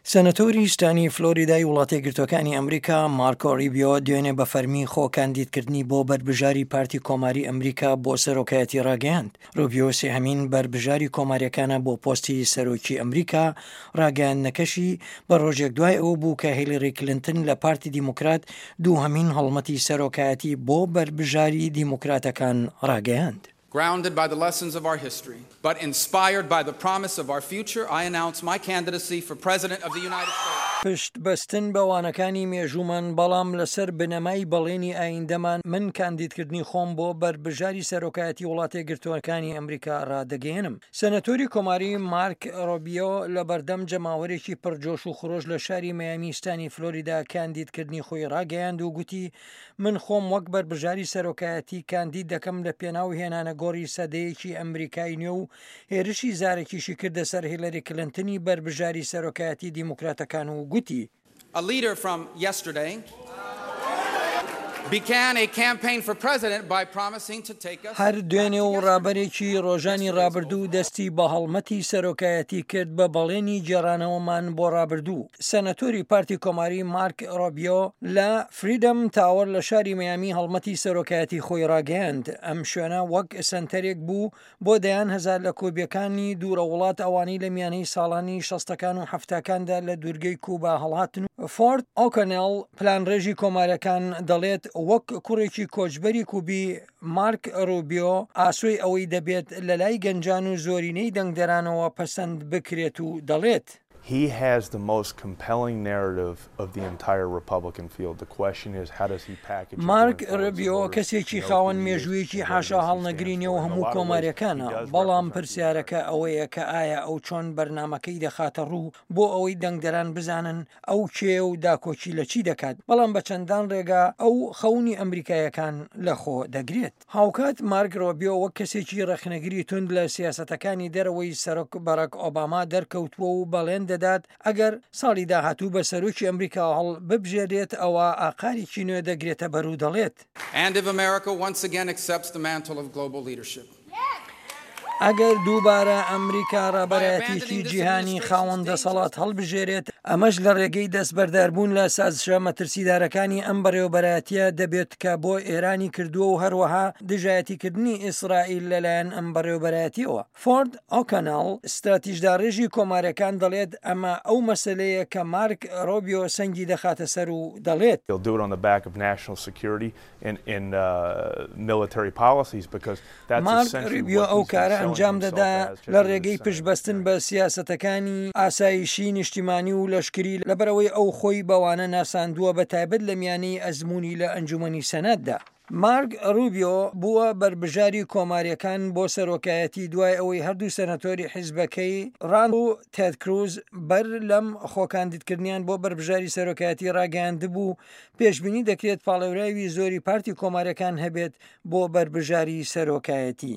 سەنەتۆری ستانی فلۆریدای وڵاتەیەکگرتووەکانی ئەمریکا، مارکۆ ریبیۆ دوێنێ بە فەرمی خۆ کاندیدکردنی بۆ بەربژاری پارتی کۆماری ئەمریکا بۆ سەرۆکایەتی راگەیاند. روبیۆ سێهەمین بەربژاری کۆمارییەکانە بۆ پۆستی سەرۆکی ئەمریکا، راگەیاندنەکەشی بە رۆژێک دوای ئەوە بوو کە هیلری کلنتن لە پارتی دیموکرات دووهەمین هەڵمەتی سەرۆکایەتی بۆ بەربژاری دیموکراتەکان راگەیاند. Grounded by the lessons of our history, but inspired by the promise of our future, I announce my candidacy for President of the United States. پشت بەستن بە وانەکانی مێژوومان، بەڵام لەسەر بنەمای بەڵێنی ئایندەمان، من کاندیدکردنی خۆم بۆ بەربژاری سەرۆکایەتی وڵاتەیەکگرتووەکانی ئەمریکا ڕادەگەیەنم. سەنەتۆری کۆماری مارک ڕۆبیۆ لە بەردەم جەماوەرێکی پڕ جۆش و خرۆش لە شاری مەیامی ستانی فلۆریدا کاندیدکردنی خۆی ڕاگەیاند و گوتی من خۆم وەک بەربژاری سەرۆکایەتی کاندید دەکەم لە پێناو هێنانە گۆڕی سەدەیەکی ئەمریکای نوێ و هێرشی زارەکیشی کردە سەر هیلەری کلنتنی بەربژاری سەرۆکایەتی دیموکراتەکان و گوتی. A leader from yesterday began a campaign for president by promising to take us هەر دوێنێ و ڕابەرێکی ڕۆژانی ڕابردوو دەستی بە هەڵمەتی سەرۆکایەتی کرد بە بەڵێنی گێڕانەوەمان بۆ ڕابردوو. سەنەتۆری پارتی کۆماری مارک ڕۆبیۆ لە فریدەم تاوەر لە شاری میامی هەڵمەتی سەرۆکایەتی خۆی ڕاگەیاند. ئەم شوێنە وەک سەنتەرێک بوو بۆ دەیان هەزار لە کۆبیەکانی دوورە وڵات ئەوانەی لە میانەی ساڵانی شەستەکان و حەفتاکاندا لە دوورگەی کوبا هەڵهاتن و فۆرد ئۆکۆنێڵ پلانڕێژی کۆمارەکان دەڵێت وەک کوڕێکی کۆچبەری کوبی مارک ڕوبیۆ ئاسۆی ئەوەی دەبێت لەلای گەنجان و زۆرینەی دەنگدەرانەوە پەسەند بکرێت و دەڵێت. He has the most compelling narrative of the entire Republican field. The question is, how does he package it going مارک forward so ڕوبیۆ voters کەسێکی know who خاوەن he is, مێژوویەکی and what it حاشا is he stands هەڵنەگری for. نێو In a هەموو lot of ways, he کۆمارییەکانە، does بەڵام represent the پرسیارەکە American. ئەوەیە کە ئایا ئەو چۆن بەرنامەکەی دەخاتە ڕوو بۆ ئەوەی دەنگدەران بزانن ئەو کێیە و داکۆکی لە چی دەکات، بەڵام بە چەندان ڕێگا ئەو خەونی ئەمریکاییەکان لەخۆ دەگرێت. هاوکات مارک ڕۆبیۆ وەک کەسێکی ڕەخنەگری توند لە سیاسەتەکانی دەرەوەی سەرۆک باراک ئۆباما دەرکەوتووە و بەڵێن دەدات ئەگەر ساڵی داهاتوو بە سەرۆکی ئەمریکا هەڵببژێرێت ئەوا ئاقارێکی نوێ دەگرێتە بەر و دەڵێت. And if America once again accepts the mantle of global leadership. ئەگەر دووبارە ئەمریکا ڕابەرایەتیی جیهانی خاوەن دەسەڵات هەڵبژێرێت، ئەمەش لە ڕێگەی دەستبەرداربوون لە سازشە مەترسیدارەکانی ئەم بەڕێوەبەرایەتییە دەبێت کە بۆ ئێرانی کردووە و هەروەها دژایەتیکردنی ئیسرائیل لەلایەن ئەم بەڕێوەبەرایەتییەوە. فۆرد ئۆکۆنێڵ، ستراتیژداڕێژی کۆمارییەکان دەڵێت، ئەمە ئەو مەسەلەیە کە مارک ڕۆبیۆ سەنگی دەخاتە سەر و دەڵێت. He'll do it on the back of national security مارک ڕوبیۆ ئەو کارە ئەنجام دەدا لە ڕێگەی پشتبەستن بە سیاسەتەکانی ئاسایشی نیشتیمانی و لەشکری، لەبەرئەوەی ئەو خۆی بەوانە ناساندووە بەتایبەت لە میانەی ئەزموونی لە ئەنجومەنی سەناتدا. مارک ڕوبیۆ بووە بەربژاری کۆمارییەکان بۆ سەرۆکایەتی دوای ئەوەی هەردوو سەنەتۆری حیزبەکەی ڕاند و تێد کروز بەر لەم خۆکاندیدکردنیان بۆ بەربژاری سەرۆکایەتی ڕاگەیاندبوو پێشبینی دەکرێت پاڵێوراوی زۆری پارتی کۆمارییەکان هەبێت بۆ بەربژاری سەرۆکایەتی.